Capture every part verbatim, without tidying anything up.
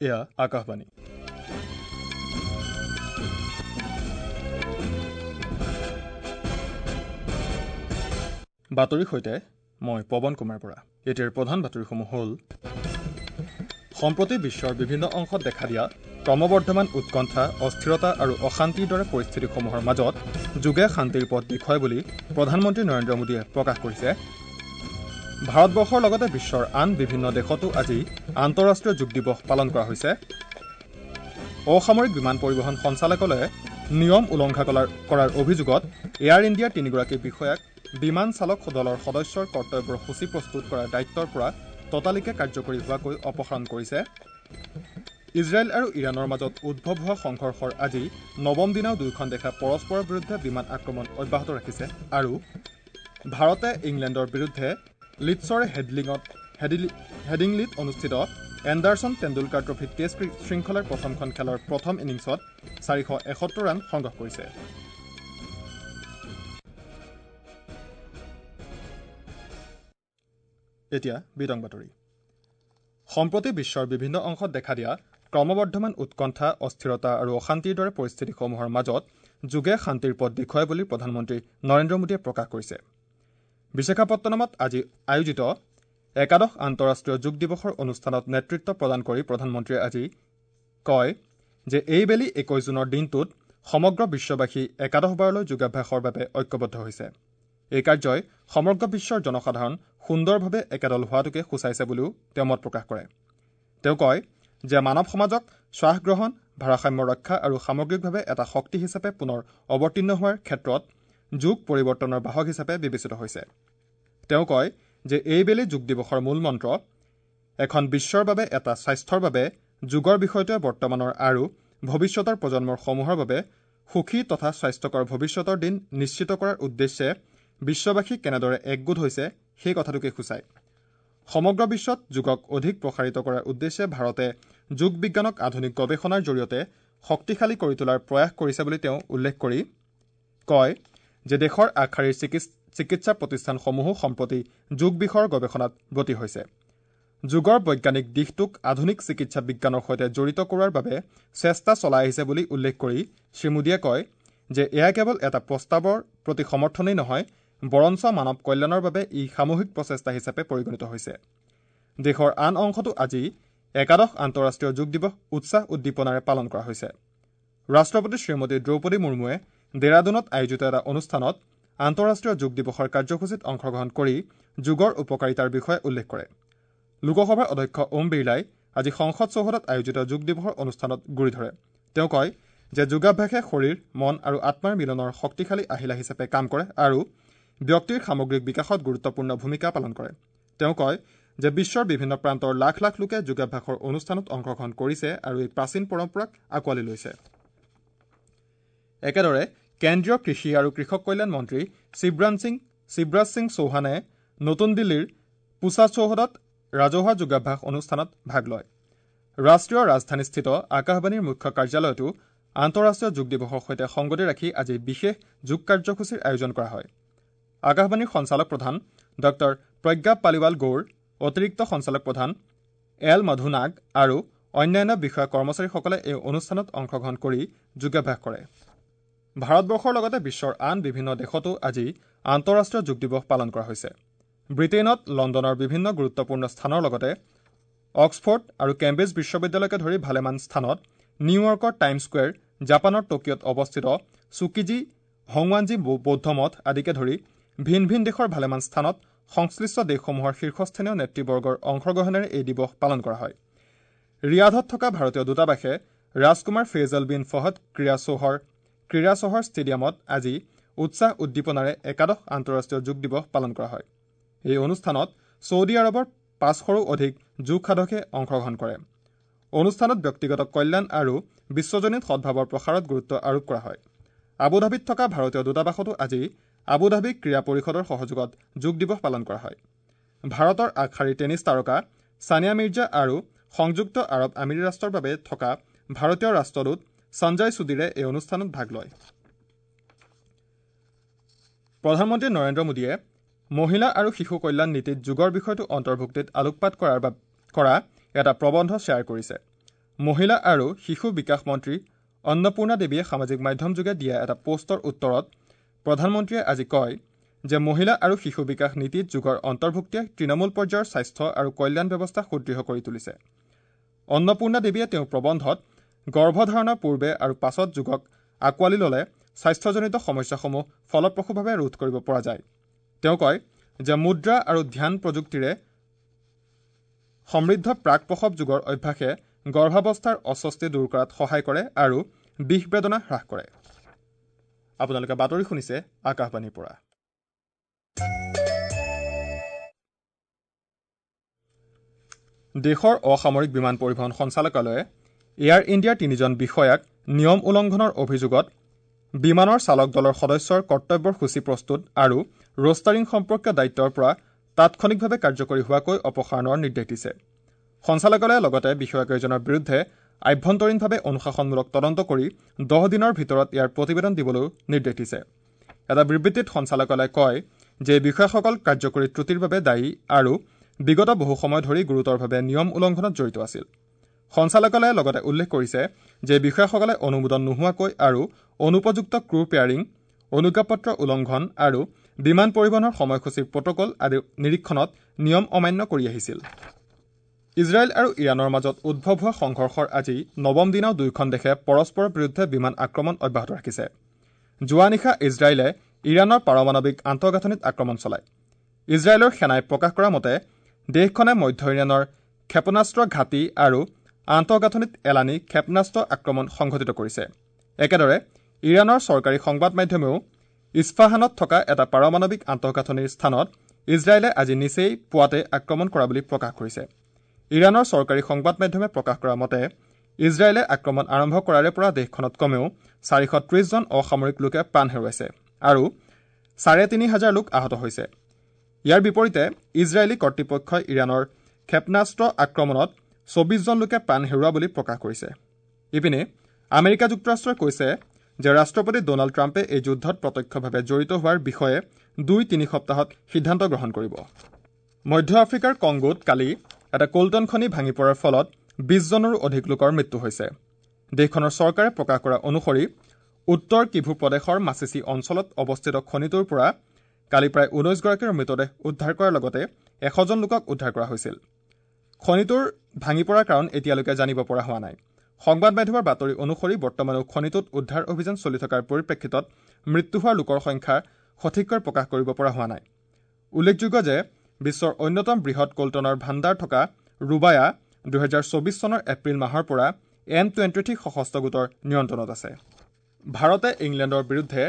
এয়া আকাশবাণী। বাতৰিৰ সৈতে মই পৱন কুমাৰ বৰা। এতিয়াৰ প্ৰধান বাতৰিসমূহ হ'ল: সম্প্ৰতি বিশ্বৰ বিভিন্ন অংশত দেখা দিয়া ক্ৰমবৰ্ধমান উৎকণ্ঠা, অস্থিৰতা আৰু অশান্তিৰ দৰে পৰিস্থিতিসমূহৰ মাজত যোগে শান্তিৰ পথ দেখুৱায় বুলি প্ৰধানমন্ত্ৰী নৰেন্দ্ৰ মোদীয়ে প্ৰকাশ কৰিছে। ভাৰতবৰ্ষৰ লগতে বিশ্বৰ আন বিভিন্ন দেশতো আজি আন্তঃৰাষ্ট্ৰীয় যোগ দিৱস পালন কৰা হৈছে। অসামৰিক বিমান পৰিবহণ সঞ্চালকালয়ে নিয়ম উলংঘা কৰাৰ অভিযোগত এয়াৰ ইণ্ডিয়াৰ তিনিগৰাকী বিষয়াক বিমান চালক দলৰ সদস্যৰ কৰ্তব্যৰ সূচী প্ৰস্তুত কৰাৰ দায়িত্বৰ পৰা ততালিকে কাৰ্যকৰী হোৱাকৈ অপসাৰণ কৰিছে। ইজৰাইল আৰু ইৰাণৰ মাজত উদ্ভৱ হোৱা সংঘৰ্ষৰ আজি নৱম দিনাও দুয়োখন দেশে পৰস্পৰৰ বিৰুদ্ধে বিমান আক্ৰমণ অব্যাহত ৰাখিছে। আৰু ভাৰতে ইংলেণ্ডৰ বিৰুদ্ধে লিডছৰ হেডলিঙত হেডিংলিত অনুষ্ঠিত এণ্ডাৰছন টেণ্ডুলকাৰ ট্ৰফী টেষ্ট শৃংখলাৰ প্ৰথমখন খেলৰ প্ৰথম ইনিংছত চাৰিশ এসত্তৰ ৰান সংগ্ৰহ কৰিছে। এতিয়া বিতং বাতৰি। সম্প্ৰতি বিশ্বৰ বিভিন্ন অংশত দেখা দিয়া ক্ৰমবৰ্ধমান উৎকণ্ঠা, অস্থিৰতা আৰু অশান্তিৰ দৰে পৰিস্থিতিসমূহৰ মাজত যোগে শান্তিৰ পথ দেখুৱায় বুলি প্ৰধানমন্ত্ৰী নৰেন্দ্ৰ মোদীয়ে প্ৰকাশ কৰিছে। বিশাখাপট্টনমত আজি আয়োজিত একাদশ আন্তঃৰাষ্ট্ৰীয় যোগ দিৱসৰ অনুষ্ঠানত নেতৃত্ব প্ৰদান কৰি প্ৰধানমন্ত্ৰীয়ে আজি কয় যে এইবেলি একৈশ জুনৰ দিনটোত সমগ্ৰ বিশ্ববাসী একাদশবাৰলৈ যোগাভ্যাসৰ বাবে ঐক্যবদ্ধ হৈছে। এই কাৰ্যই সমগ্ৰ বিশ্বৰ জনসাধাৰণ সুন্দৰভাৱে একেদল হোৱাটোকে সূচাইছে বুলিও তেওঁ মত প্ৰকাশ কৰে। তেওঁ কয় যে মানৱ সমাজক শ্বাস গ্ৰহণ, ভাৰসাম্য ৰক্ষা আৰু সামগ্ৰিকভাৱে এটা শক্তি হিচাপে পুনৰ অৱতীৰ্ণ হোৱাৰ ক্ষেত্ৰত যোগ পৰিৱৰ্তনৰ বাহক হিচাপে বিবেচিত হৈছে। তেওঁ কয় যে এইবেলি যোগ দিৱসৰ মূল মন্ত্ৰ এখন বিশ্বৰ বাবে এটা স্বাস্থ্যৰ বাবে যোগৰ বিষয়টোৱে বৰ্তমানৰ আৰু ভৱিষ্যতৰ প্ৰজন্মৰ সমূহৰ বাবে সুখী তথা স্বাস্থ্যকৰ ভৱিষ্যতৰ দিন নিশ্চিত কৰাৰ উদ্দেশ্যে বিশ্ববাসী কেনেদৰে একগোট হৈছে সেই কথাটোকে সূচায়। সমগ্ৰ বিশ্বত যোগক অধিক প্ৰসাৰিত কৰাৰ উদ্দেশ্যে ভাৰতে যোগ বিজ্ঞানক আধুনিক গৱেষণাৰ জৰিয়তে শক্তিশালী কৰি তোলাৰ প্ৰয়াস কৰিছে বুলি তেওঁ উল্লেখ কৰি কয় যে দেশৰ আগশাৰীৰ চিকিৎসা প্ৰতিষ্ঠানসমূহো সম্প্ৰতি যোগ বিষয়ৰ গৱেষণাত ব্ৰতী হৈছে। যোগৰ বৈজ্ঞানিক দিশটোক আধুনিক চিকিৎসা বিজ্ঞানৰ সৈতে জড়িত কৰোৱাৰ বাবে চেষ্টা চলাই আহিছে বুলি উল্লেখ কৰি শ্ৰীমোদীয়ে কয় যে এয়া কেৱল এটা প্ৰস্তাৱৰ প্ৰতি সমৰ্থনেই নহয়, বৰঞ্চ মানৱ কল্যাণৰ বাবে ই সামূহিক প্ৰচেষ্টা হিচাপে পৰিগণিত হৈছে। দেশৰ আন অংশতো আজি একাদশ আন্তঃৰাষ্ট্ৰীয় যোগ দিৱস উৎসাহ উদ্দীপনাৰে পালন কৰা হৈছে। ৰাষ্ট্ৰপতি শ্ৰীমতী দ্ৰৌপদী মুৰ্মুৱে ডেৰাডুনত আয়োজিত এটা অনুষ্ঠানত আন্তঃৰাষ্ট্ৰীয় যোগ দিৱসৰ কাৰ্যসূচীত অংশগ্ৰহণ কৰি যোগৰ উপকাৰিতাৰ বিষয়ে উল্লেখ কৰে। লোকসভাৰ অধ্যক্ষ ওম বিৰলাই আজি সংসদ চৌহদত আয়োজিত যোগ দিৱসৰ অনুষ্ঠানত গুৰি ধৰে। তেওঁ কয় যে যোগাভ্যাসে শৰীৰ, মন আৰু আত্মাৰ মিলনৰ শক্তিশালী আহিলা হিচাপে কাম কৰে আৰু ব্যক্তিৰ সামগ্ৰিক বিকাশত গুৰুত্বপূৰ্ণ ভূমিকা পালন কৰে। তেওঁ কয় যে বিশ্বৰ বিভিন্ন প্ৰান্তৰ লাখ লাখ লোকে যোগাভ্যাসৰ অনুষ্ঠানত অংশগ্ৰহণ কৰিছে আৰু এই প্ৰাচীন পৰম্পৰাক আঁকোৱালি লৈছে। একেদৰে কেন্দ্ৰীয় কৃষি আৰু কৃষক কল্যাণ মন্ত্ৰী শিৱৰাজ সিং শিৱৰাজ সিং চৌহানে নতুন দিল্লীৰ পুছা চৌহদত ৰাজহুৱা যোগাভ্যাস অনুষ্ঠানত ভাগ লয়। ৰাষ্ট্ৰীয় ৰাজধানীস্থিত আকাশবাণীৰ মুখ্য কাৰ্যালয়তো আন্তঃৰাষ্ট্ৰীয় যোগ দিৱসৰ সৈতে সংগতি ৰাখি আজি বিশেষ যোগ কাৰ্যসূচীৰ আয়োজন কৰা হয়। আকাশবাণীৰ সঞ্চালক প্ৰধান ডক্টৰ প্ৰজ্ঞা পালিৱাল গৌৰ, অতিৰিক্ত সঞ্চালক প্ৰধান এল মধুনাগ আৰু অন্যান্য বিষয়া কৰ্মচাৰীসকলে এই অনুষ্ঠানত অংশগ্ৰহণ কৰি যোগাভ্যাস কৰে। ভাৰতবৰ্ষৰ লগতে বিশ্বৰ আন বিভিন্ন দেশতো আজি আন্তঃৰাষ্ট্ৰীয় যোগ দিৱস পালন কৰা হৈছে। ব্ৰিটেইনত লণ্ডনৰ বিভিন্ন গুৰুত্বপূৰ্ণ স্থানৰ লগতে অক্সফৰ্ড আৰু কেম্ব্ৰিজ বিশ্ববিদ্যালয়কে ধৰি ভালেমান স্থানত, নিউয়ৰ্কৰ টাইম স্কুৱেৰ, জাপানৰ টকিঅ'ত অৱস্থিত চুকিজি হংৱানজি বৌদ্ধ মঠ আদিকে ধৰি ভিন ভিন দেশৰ ভালেমান স্থানত সংশ্লিষ্ট দেশসমূহৰ শীৰ্ষস্থানীয় নেতৃবৰ্গৰ অংশগ্ৰহণেৰে এই দিৱস পালন কৰা হয়। ৰিয়াধত থকা ভাৰতীয় দূতাবাসে ৰাজকুমাৰ ফেইজল বিন ফহদ ক্ৰীড়া চহৰ ক্ৰীড়া চহৰ ষ্টেডিয়ামত আজি উৎসাহ উদ্দীপনাৰে একাদশ আন্তঃৰাষ্ট্ৰীয় যোগ দিৱস পালন কৰা হয়। এই অনুষ্ঠানত ছৌদি আৰৱৰ পাঁচশৰো অধিক যোগ সাধকে অংশগ্ৰহণ কৰে। অনুষ্ঠানত ব্যক্তিগত কল্যাণ আৰু বিশ্বজনীন সদ্ভাৱৰ প্ৰসাৰত গুৰুত্ব আৰোপ কৰা হয়। আবুধাবিত থকা ভাৰতীয় দূতাবাসতো আজি আবুধাবি ক্ৰীড়া পৰিষদৰ সহযোগত যোগ দিৱস পালন কৰা হয়। ভাৰতৰ আগশাৰীৰ টেনিছ তাৰকা ছানিয়া মিৰ্জা আৰু সংযুক্ত আৰৱ আমিৰি ৰাষ্ট্ৰৰ বাবে থকা ভাৰতীয় ৰাষ্ট্ৰদূত সঞ্জয় সুধীৰে এই অনুষ্ঠানত ভাগ লয়। প্ৰধানমন্ত্ৰী নৰেন্দ্ৰ মোদীয়ে মহিলা আৰু শিশু কল্যাণ নীতিত যোগৰ বিষয়টো অন্তৰ্ভুক্তিত আলোকপাত কৰাৰ কৰা এটা প্ৰবন্ধ শ্বেয়াৰ কৰিছে। মহিলা আৰু শিশু বিকাশ মন্ত্ৰী অন্নপূৰ্ণা দেৱীয়ে সামাজিক মাধ্যমযোগে দিয়া এটা পোষ্টৰ উত্তৰত প্ৰধানমন্ত্ৰীয়ে আজি কয় যে মহিলা আৰু শিশু বিকাশ নীতিত যোগৰ অন্তৰ্ভুক্তিয়ে তৃণমূল পৰ্যায়ৰ স্বাস্থ্য আৰু কল্যাণ ব্যৱস্থা সুদৃঢ় কৰি তুলিছে। অন্নপূৰ্ণা দেৱীয়ে তেওঁৰ প্ৰবন্ধত গৰ্ভধাৰণৰ পূৰ্বে আৰু পাছত যোগক আঁকোৱালি ল'লে স্বাস্থ্যজনিত সমস্যাসমূহ ফলপ্ৰসূভাৱে ৰোধ কৰিব পৰা যায়। তেওঁ কয় যে মুদ্ৰা আৰু ধ্যান প্ৰযুক্তিৰে সমৃদ্ধ প্ৰাক প্ৰসৱ যোগৰ অভ্যাসে গৰ্ভাৱস্থাৰ অস্বস্তি দূৰ কৰাত সহায় কৰে আৰু বিষ বেদনা হ্ৰাস কৰে। আপোনালোকে বাতৰি শুনিছে আকাশবাণীৰ পৰা। দেশৰ অসামৰিক বিমান পৰিবহণ সঞ্চালকালয়ে এয়াৰ ইণ্ডিয়াৰ তিনিজন বিষয়াক নিয়ম উলংঘনৰ অভিযোগত বিমানৰ চালক দলৰ সদস্যৰ কৰ্তব্যৰ সূচী প্ৰস্তুত আৰু ৰোষ্টাৰিং সম্পৰ্কীয় দায়িত্বৰ পৰা তাৎক্ষণিকভাৱে কাৰ্যকৰী হোৱাকৈ অপসাৰণৰ নিৰ্দেশ দিছে। সঞ্চালকালয়ে লগতে বিষয়াকেইজনৰ বিৰুদ্ধে আভ্যন্তৰীণভাৱে অনুশাসনমূলক তদন্ত কৰি দহ দিনৰ ভিতৰত ইয়াৰ প্ৰতিবেদন দিবলৈও নিৰ্দেশ দিছে। এটা বিবৃতিত সঞ্চালকালয়ে কয় যে বিষয়াসকল কাৰ্যকৰী ত্ৰুটিৰ বাবে দায়ী আৰু বিগত বহু সময় ধৰি গুৰুতৰভাৱে নিয়ম উলংঘনত জড়িত আছিল। সঞ্চালকালয়ে লগতে উল্লেখ কৰিছে যে বিষয়াসকলে অনুমোদন নোহোৱাকৈ আৰু অনুপযুক্ত ক্ৰু পেয়াৰিং, অনুজ্ঞাপত্ৰ উলংঘন আৰু বিমান পৰিবহণৰ সময়সূচীৰ প্ৰট'কল আদি নিৰীক্ষণত নিয়ম অমান্য কৰি আহিছিল। ইজৰাইল আৰু ইৰাণৰ মাজত উদ্ভৱ হোৱা সংঘৰ্ষৰ আজি নৱম দিনাও দুয়োখন দেশে পৰস্পৰৰ বিৰুদ্ধে বিমান আক্ৰমণ অব্যাহত ৰাখিছে। যোৱা নিশা ইজৰাইলে ইৰাণৰ পাৰমাণৱিক আন্তঃগাঁথনিত আক্ৰমণ চলায়। ইজৰাইলৰ সেনাই প্ৰকাশ কৰা মতে দেশখনে মধ্য ইৰাণৰ ক্ষেপণাস্ত্ৰ ঘাটি আৰু আন্তঃগাঁথনিত এলানি ক্ষেপণাস্ত্ৰ আক্ৰমণ সংঘটিত কৰিছে। একেদৰে ইৰাণৰ চৰকাৰী সংবাদ মাধ্যমেও ইছফাহানত থকা এটা পাৰমাণৱিক আন্তঃগাঁথনিৰ স্থানত ইজৰাইলে আজি নিচেই পুৱাতে আক্ৰমণ কৰা বুলি প্ৰকাশ কৰিছে। ইৰাণৰ চৰকাৰী সংবাদ মাধ্যমে প্ৰকাশ কৰা মতে ইজৰাইলে আক্ৰমণ আৰম্ভ কৰাৰে পৰা দেশখনত কমেও চাৰিশ ত্ৰিশজন অসামৰিক লোকে প্ৰাণ হেৰুৱাইছে আৰু চাৰে তিনি হাজাৰ লোক আহত হৈছে। ইয়াৰ বিপৰীতে ইজৰাইলী কৰ্তৃপক্ষই ইৰাণৰ ক্ষেপণাস্ত্ৰ আক্ৰমণত চৌবিশজন লোকে প্ৰাণ হেৰুওৱা বুলি প্ৰকাশ কৰিছে। ইপিনে আমেৰিকা যুক্তৰাষ্ট্ৰই কৈছে যে ৰাষ্ট্ৰপতি ড'নাল্ড ট্ৰাম্পে এই যুদ্ধত প্ৰত্যক্ষভাৱে জড়িত হোৱাৰ বিষয়ে দুই তিনি সপ্তাহত সিদ্ধান্ত গ্ৰহণ কৰিব। মধ্য আফ্ৰিকাৰ কংগোত কালি এটা কল্টন খনি ভাঙি পৰাৰ ফলত বিশজনৰো অধিক লোকৰ মৃত্যু হৈছে। দেশখনৰ চৰকাৰে প্ৰকাশ কৰা অনুসৰি উত্তৰ কিভু প্ৰদেশৰ মাছেচি অঞ্চলত অৱস্থিত খনিটোৰ পৰা কালি প্ৰায় ঊনৈছগৰাকীৰ মৃতদেহ উদ্ধাৰ কৰাৰ লগতে এশজন লোকক উদ্ধাৰ কৰা হৈছিল। খনিটোৰ ভাঙি পৰাৰ কাৰণ এতিয়ালৈকে জানিব পৰা হোৱা নাই। সংবাদ মাধ্যমৰ বাতৰি অনুসৰি বৰ্তমানেও খনিটোত উদ্ধাৰ অভিযান চলি থকাৰ পৰিপ্ৰেক্ষিতত মৃত্যু হোৱা লোকৰ সংখ্যা সঠিককৈ প্ৰকাশ কৰিব পৰা হোৱা নাই। উল্লেখযোগ্য যে বিশ্বৰ অন্যতম বৃহৎ কল্টনৰ ভাণ্ডাৰ থকা ৰুবায়া দুহেজাৰ চৌবিশ চনৰ এপ্ৰিল মাহৰ পৰা এম টুৱেণ্টি থ্ৰী সশস্ত্ৰ গোটৰ নিয়ন্ত্ৰণত আছে। ভাৰতে ইংলেণ্ডৰ বিৰুদ্ধে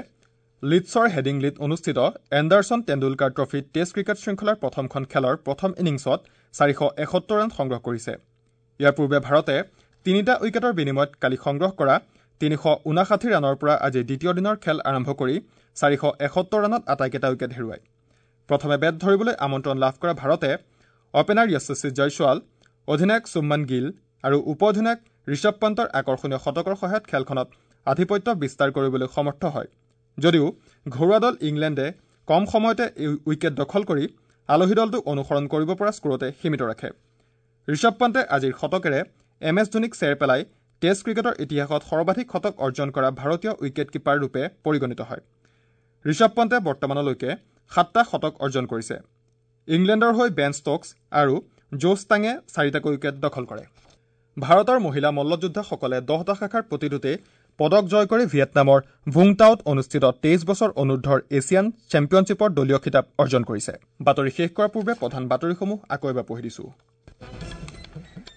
লিডছৰ হেডিংলিত অনুষ্ঠিত Anderson Tendulkar trophy test cricket শৃংখলাৰ প্ৰথমখন খেলৰ প্ৰথম ইনিংছত চাৰিশ এসত্তৰ ৰান সংগ্ৰহ কৰিছে। ইয়াৰ পূৰ্বে ভাৰতে তিনিটা উইকেটৰ বিনিময়ত কালি সংগ্ৰহ কৰা তিনিশ ঊনাষাঠি ৰানৰ পৰা আজি দ্বিতীয় দিনৰ খেল আৰম্ভ কৰি চাৰিশ এসত্তৰ ৰানত আটাইকেইটা উইকেট হেৰুৱায়। প্ৰথমে বেট ধৰিবলৈ আমন্ত্ৰণ লাভ কৰা ভাৰতে অপেনাৰ যশস্বী জয়ছোৱাল, অধিনায়ক শুভমন গিল আৰু উপ অধিনায়ক ঋষভ পন্তৰ আকৰ্ষণীয় শতকৰ সহায়ত খেলখনত আধিপত্য বিস্তাৰ কৰিবলৈ সমৰ্থ হয় যদিও ঘৰুৱা দল ইংলেণ্ডে কম সময়তে উইকেট দখল কৰি আলহী দলটোক অনুসৰণ কৰিব পৰা স্ক'ৰতে সীমিত ৰাখে। ঋষভ পন্তে আজিৰ শতকেৰে এম এছ ধোনীক চেৰ পেলাই টেষ্ট ক্ৰিকেটৰ ইতিহাসত সৰ্বাধিক শতক অৰ্জন কৰা ভাৰতীয় উইকেট কিপাৰ ৰূপে পৰিগণিত হয়। ঋষভ পন্তে বৰ্তমানলৈকে সাতটা শতক অৰ্জন কৰিছে। ইংলেণ্ডৰ হৈ বেন ষ্ট'কছ আৰু জোছ টাঙে চাৰিটাকৈ উইকেট দখল কৰে। ভাৰতৰ মহিলা মল্লযোদ্ধাসকলে দহটা শাখাৰ প্ৰতিটোতে পদক জয় কৰি ভিয়েটনামৰ ভুংটাওত অনুষ্ঠিত তেইছ বছৰ অনুৰ্ধৰ এছিয়ান চেম্পিয়নশ্বিপৰ দলীয় খিতাপ অৰ্জন কৰিছে। বাতৰি শেষ কৰাৰ পূৰ্বে প্ৰধান বাতৰিসমূহ আকৌ এবাৰ পঢ়ি দিছো।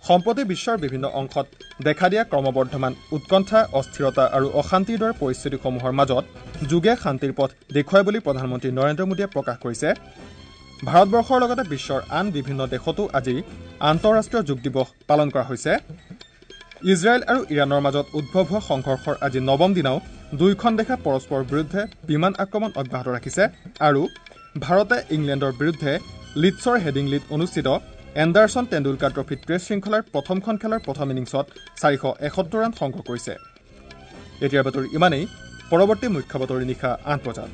সম্প্ৰতি বিশ্বৰ বিভিন্ন অংশত দেখা দিয়া ক্ৰমবৰ্ধমান উৎকণ্ঠা, অস্থিৰতা আৰু অশান্তিৰ দৰে পৰিস্থিতিসমূহৰ মাজত যোগে শান্তিৰ পথ দেখুৱাই বুলি প্ৰধানমন্ত্ৰী নৰেন্দ্ৰ মোদীয়ে প্ৰকাশ কৰিছে। ভাৰতবৰ্ষৰ লগতে বিশ্বৰ আন বিভিন্ন দেশতো আজি আন্তঃৰাষ্ট্ৰীয় যোগ দিৱস পালন কৰা হৈছে। ইজৰাইল আৰু ইৰাণৰ মাজত উদ্ভৱ হোৱা সংঘৰ্ষৰ আজি নৱম দিনাও দুয়োখন দেশে পৰস্পৰৰ বিৰুদ্ধে বিমান আক্ৰমণ অব্যাহত ৰাখিছে আৰু ভাৰতে ইংলেণ্ডৰ বিৰুদ্ধে লিডছৰ হেডিংলিত অনুষ্ঠিত এণ্ডাৰছন টেণ্ডুলকাৰ ট্ৰফী টেষ্ট শৃংখলাৰ প্ৰথমখন খেলৰ প্ৰথম ইনিংছত চাৰিশ এসত্তৰ ৰান সংগ্ৰহ কৰিছে। এতিয়াৰ বাতৰি ইমানেই। পৰৱৰ্তী মুখ্য বাতৰি নিশা আঠ বজাত।